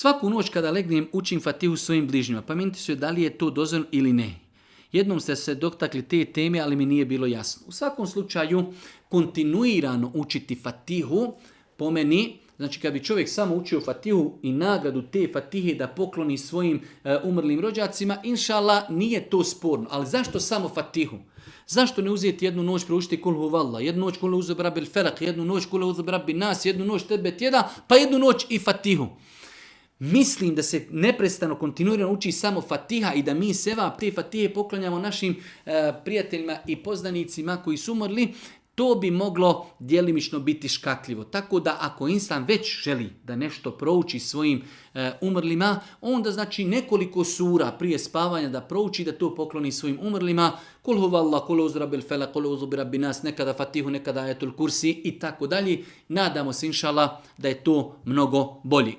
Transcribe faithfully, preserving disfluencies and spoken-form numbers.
Svaku noć kada legnem učim Fatihu svojim bližnjima. Pa meni se da li je to dozvoljeno ili ne. Jednom ste se dotakli te teme, ali mi nije bilo jasno. U svakom slučaju, kontinuirano učiti Fatihu, po meni, znači kad bi čovjek samo učio Fatihu i nagradu te Fatihe da pokloni svojim e, umrlim rođacima, inšallah, nije to sporno. Ali zašto samo Fatihu? Zašto ne uzeti jednu noć proučiti Kul huvallah, jednu noć Kul uzu birabil felak, jednu noć Kul uzu birabil nas, jednu noć tebet jeda, pa jednu noć i Fatihu? Mislim da se neprestano kontinuirano uči samo Fatiha i da mi sevap te Fatihe poklanjamo našim e, prijateljima i poznanicima koji su umrli, to bi moglo djelimično biti škakljivo. Tako da ako insan već želi da nešto prouči svojim e, umrlima, onda znači nekoliko sura prije spavanja da prouči, da to pokloni svojim umrlima. Kul huvallah, kul uzu rabbil felak, kul uzu birabbin nas, nekada Fatihu, nekada ajetul kursi i tako dalje. Nadamo se inšallah da je to mnogo bolji.